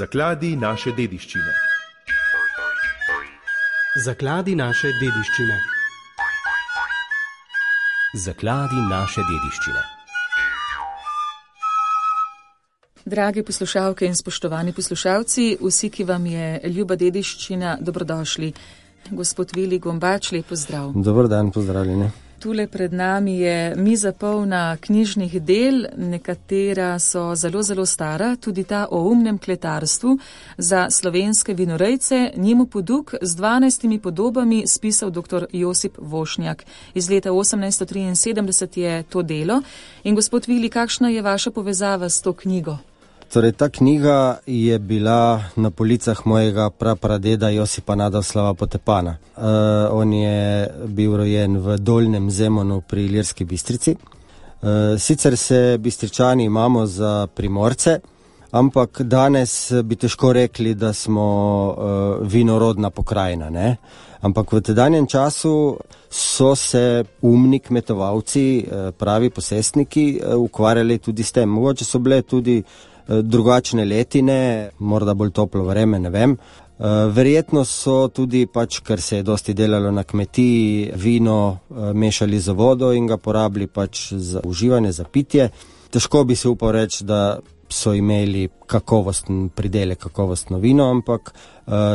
Zakladi naše dediščine. Zakladi naše dediščine. Zakladi naše dediščine. Dragi poslušalke in spoštovani poslušalci, vsi, ki vam je ljuba dediščina, dobrodošli. Gospod Vili Gombač, lep pozdrav. Dober dan, pozdravljeni. Tule pred nami je miza polna knjižnih del, nekatera so zelo, zelo stara, tudi ta o umnem kletarstvu za slovenske vinorejce, njemu poduk z 12 podobami spisal dr. Josip Vošnjak. Iz leta 1873 je to delo. In gospod Vili, kakšna je vaša povezava s to knjigo? Torej, ta knjiga je bila na policah mojega prapradeda Josipa Nadoslava Potepana. On je bil rojen v Dolnjem Zemonu pri Ilirski Bistrici. Sicer se Bistričani imamo za Primorce, ampak danes bi težko rekli, da smo vinorodna pokrajina, ne? Ampak v tedanjem času so se umni kmetovalci, pravi posestniki, ukvarjali tudi s tem. Mogoče so bile tudi drugačne letine, morda bolj toplo vreme, ne vem. Verjetno so tudi, ker se je dosti delalo na kmetiji, vino mešali z vodo in ga porabili za uživanje, za pitje. Težko bi se upal reči, da so imeli kakovosten pridelek, kakovostno vino, ampak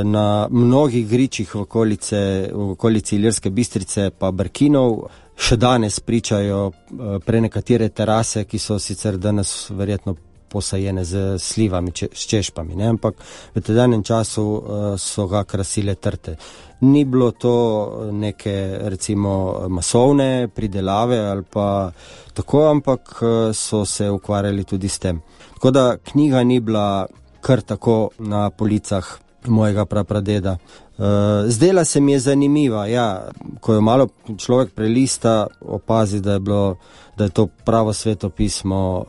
na mnogih gričih v okolici Ilirske Bistrice pa Brkinov še danes pričajo prenekatere terase, ki so sicer danes verjetno posajene z slivami, s češpami, ne? Ampak v tedanjem času so ga krasile trte. Ni bilo to neke, recimo, masovne pridelave ali pa tako, ampak so se ukvarjali tudi s tem. Tako da knjiga ni bila kar tako na policah mojega prapradeda. Zdela se mi je zanimiva, ja, ko jo malo človek prelista, opazi, da je to pravo sveto pismo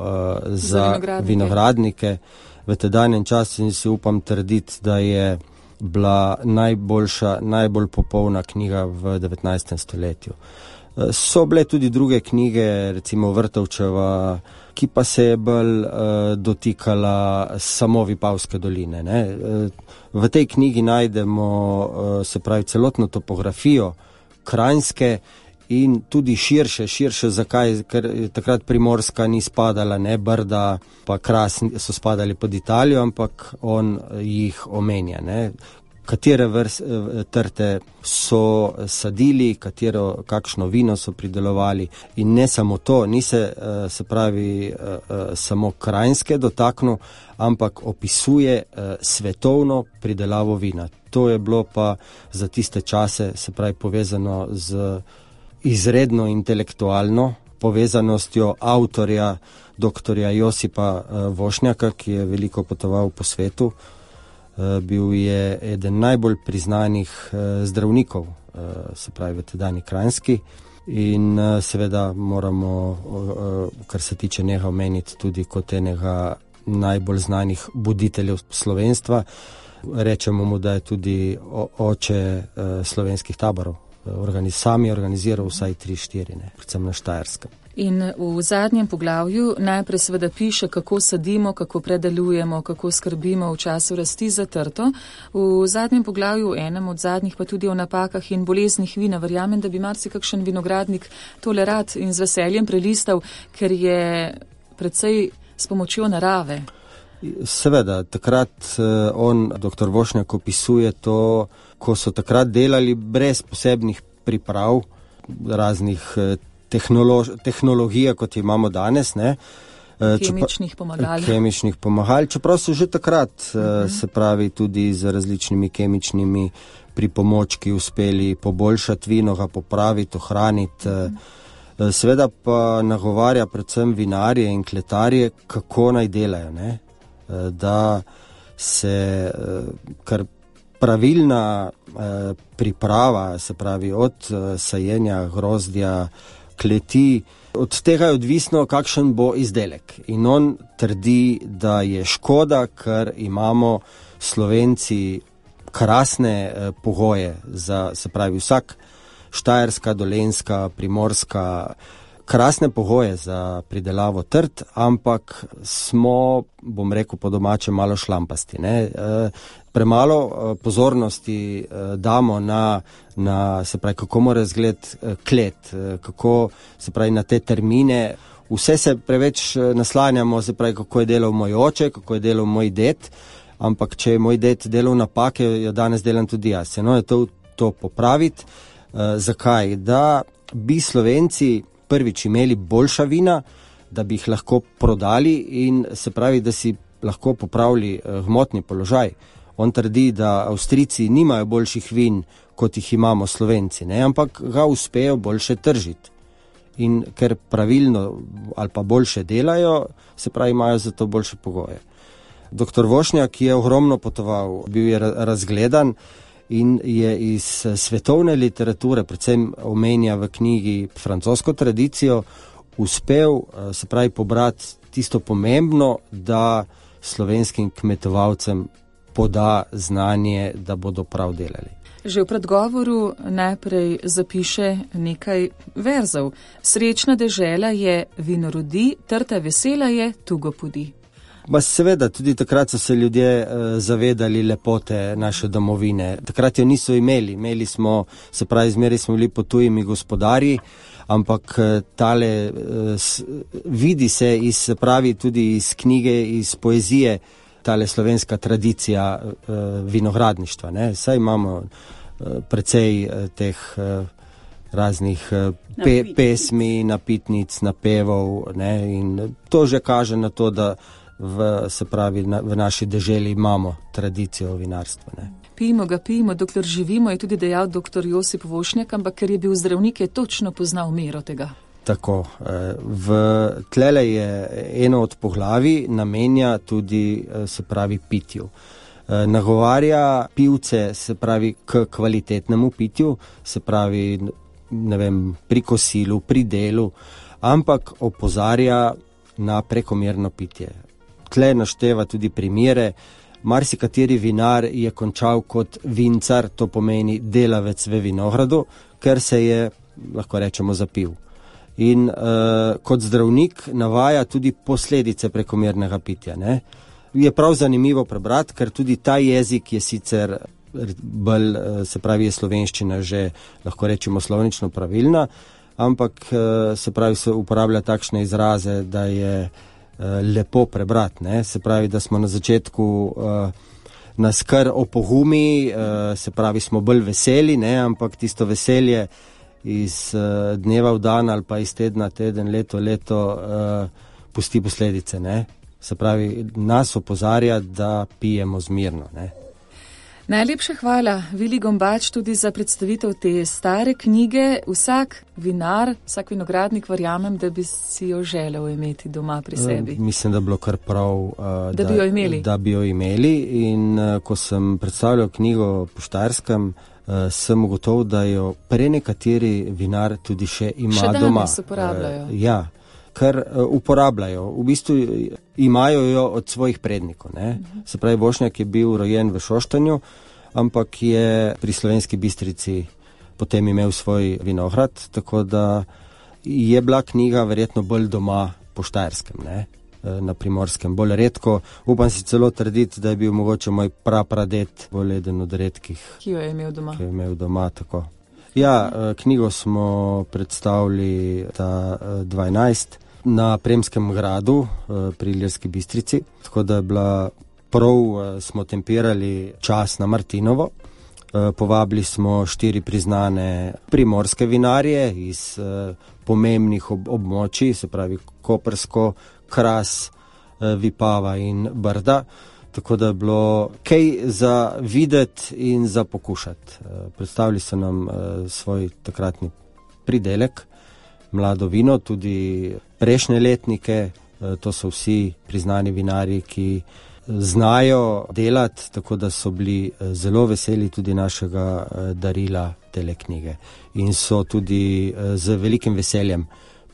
za vinogradnike v tedanjem času in si upam trditi, da je bila najbolj popolna knjiga v 19. stoletju. So bile tudi druge knjige, recimo Vrtovčeva, ki pa se je bolj dotikala samo Vipavske doline, ne? V tej knjigi najdemo, se pravi, celotno topografijo Kranjske in tudi širše, zakaj? Ker takrat Primorska ni spadala, ne, Brda pa Kras so spadali pod Italijo, ampak on jih omenja, ne? Katere trte so sadili, kakšno vino so pridelovali in ne samo to, ni se pravi samo Kranjske dotaknil, ampak opisuje svetovno pridelavo vina. To je bilo pa za tiste čase, se pravi, povezano z izredno intelektualno povezanostjo avtorja dr. Josipa Vošnjaka, ki je veliko potoval po svetu. Bil je eden najbolj priznanih zdravnikov, se pravi v tedajni Kranjski, in seveda moramo, kar se tiče njega, omeniti tudi kot enega najbolj znanih buditeljev slovenstva. Rečemo mu, da je tudi oče slovenskih taborov. Sami organiziral vsaj 3-4, predvsem na Štajerskem. In v zadnjem poglavju najprej seveda piše, kako sadimo, kako predelujemo, kako skrbimo v času rasti za trto. V zadnjem poglavju, enem od zadnjih, pa tudi o napakah in boleznih vina. Verjamem, da bi marsikakšen vinogradnik tole rad in z veseljem prelistal, ker je precej s pomočjo narave. Seveda, takrat on, dr. Vošnjak, opisuje to, ko so takrat delali brez posebnih priprav, raznih tehnologije, kot imamo danes, ne? Kemičnih pomagal, čeprav so že takrat, se pravi, tudi z različnimi kemičnimi pripomočki uspeli poboljšati vino, ga popraviti, ohraniti. Seveda pa nagovarja predvsem vinarje in kletarje, kako naj delajo, ne? Da se kar pravilna priprava, se pravi od sajenja grozdja, kleti, od tega je odvisno, kakšen bo izdelek. In on trdi, da je škoda, ker imamo Slovenci krasne pogoje za, se pravi, vsak Štajerska, Dolenjska, Primorska, krasne pogoje za pridelavo trt, ampak smo, bom rekel po domače, malo šlampasti, ne. Premalo pozornosti damo na se pravi, kako mora izgledati klet, kako se pravi na te termine. Vse se preveč naslanjamo, se pravi, kako je delal moj oče, kako je delal moj ded, ampak če je moj ded delal napake, jo danes delam tudi jaz. No, je to popraviti. Zakaj? Da bi Slovenci prvič imeli boljša vina, da bi jih lahko prodali in se pravi, da si lahko popravili gmotni položaj. On trdi, da Avstrijci nimajo boljših vin, kot jih imamo Slovenci, ne? Ampak ga uspejo boljše tržiti. In ker pravilno ali pa boljše delajo, se pravi, imajo za to boljše pogoje. Doktor Vošnjak je ogromno potoval, bil je razgledan in je iz svetovne literature, predvsem omenja v knjigi francosko tradicijo, uspel, se pravi, pobrati tisto pomembno, da slovenskim kmetovalcem poda znanje, da bodo prav delali. Že v predgovoru najprej zapiše nekaj verzov. Srečna dežela je, vino rodi, trta vesela je, tugo pudi. Seveda, tudi takrat so se ljudje zavedali lepote naše domovine. Takrat jo niso imeli smo, se pravi, zmeraj smo bili pod tujimi gospodarji, ampak tale vidi se pravi tudi iz knjige, iz poezije, tale slovenska tradicija vinogradništva, ne. Saj imamo precej teh raznih pesmi, napitnic, napevov, ne, in to že kaže na to, da v naši deželi imamo tradicijo vinarstva, ne. Pijmo, dokler živimo, je tudi dejal dr. Josip Vošnjak, ampak ker je bil zdravnik, je točno poznal mero tega. Tako, tlele je eno od poglavij namenja tudi, se pravi, pitju. Nagovarja pivce, se pravi, k kvalitetnemu pitju, se pravi, ne vem, pri kosilu, pri delu, ampak opozarja na prekomerno pitje. Tle našteva tudi primere. Marsikateri vinar je končal kot vincar, to pomeni delavec v vinogradu, ker se je, lahko rečemo, zapil. In kot zdravnik navaja tudi posledice prekomernega pitja, ne. Je prav zanimivo prebrati, ker tudi ta jezik je sicer bolj, se pravi, je slovenščina že, lahko rečemo, slovnično pravilna, ampak se pravi, se uporablja takšne izraze, da je lepo prebrati, ne. Se pravi, da smo na začetku nas kar opogumi, se pravi, smo bolj veseli, ne, ampak tisto veselje iz dneva v dan ali pa iz tedna teden, leto pusti posledice, ne. Se pravi, nas opozarja, da pijemo zmirno, ne. Najlepša hvala, Vili Gombač, tudi za predstavitev te stare knjige. Vsak vinar, vsak vinogradnik, verjamem, da bi si jo želel imeti doma pri sebi. Mislim, da bi bilo kar prav, da bi jo imeli. In ko sem predstavljal knjigo po Štajerskem, sem ugotovil, da jo prenekateri vinar tudi še ima doma. Še danes uporabljajo. Ja, ker uporabljajo. V bistvu imajo jo od svojih prednikov, ne. Se pravi, Vošnjak je bil rojen v Šoštanju, ampak je pri Slovenski Bistrici potem imel svoj vinograd, tako da je bila knjiga verjetno bolj doma po Štajerskem, ne, na Primorskem, bolj redko. Upam si celo trditi, da je bil mogoče moj prapradet bolj eden od redkih, ki jo je imel doma. Tako. Ja, knjigo smo predstavili ta 12 na Premskem gradu pri Ilirski Bistrici, tako da je bila prav, smo tempirali čas na Martinovo. Povabili smo 4 priznane primorske vinarje iz pomembnih območij, se pravi Koprsko, Kras, Vipava in Brda, tako da je bilo kaj za videti in za pokušati. Predstavili so nam svoj takratni pridelek, mlado vino, tudi prejšnje letnike, to so vsi priznani vinarji, ki znajo delati, tako da so bili zelo veseli tudi našega darila tele knjige. In so tudi z velikim veseljem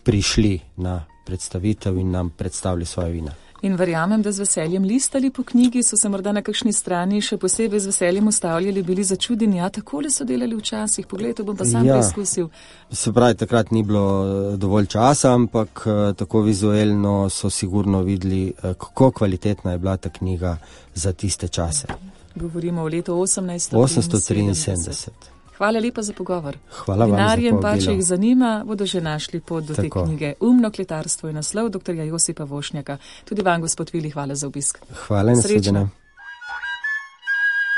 prišli na predstavitev in nam predstavili svoje vina. In verjamem, da z veseljem listali po knjigi, so se morda na kakšni strani še posebej z veseljem ustavljali, bili začudeni, ja, takole so delali včasih, poglej, to bom pa sam preizkusil. Se pravi, takrat ni bilo dovolj časa, ampak tako vizuelno so sigurno videli, kako kvalitetna je bila ta knjiga za tiste čase. Govorimo o letu 1873. Hvala lepa za pogovor. Hvala vam za Vinarjem povabilo. pa, če jih zanima, bodo že našli pot do te knjige. Umno kletarstvo je naslov dr. Josipa Vošnjaka. Tudi vam, gospod Vili, hvala za obisk. Hvala in nasvidenje.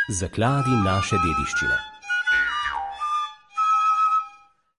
Zakladi naše dediščine.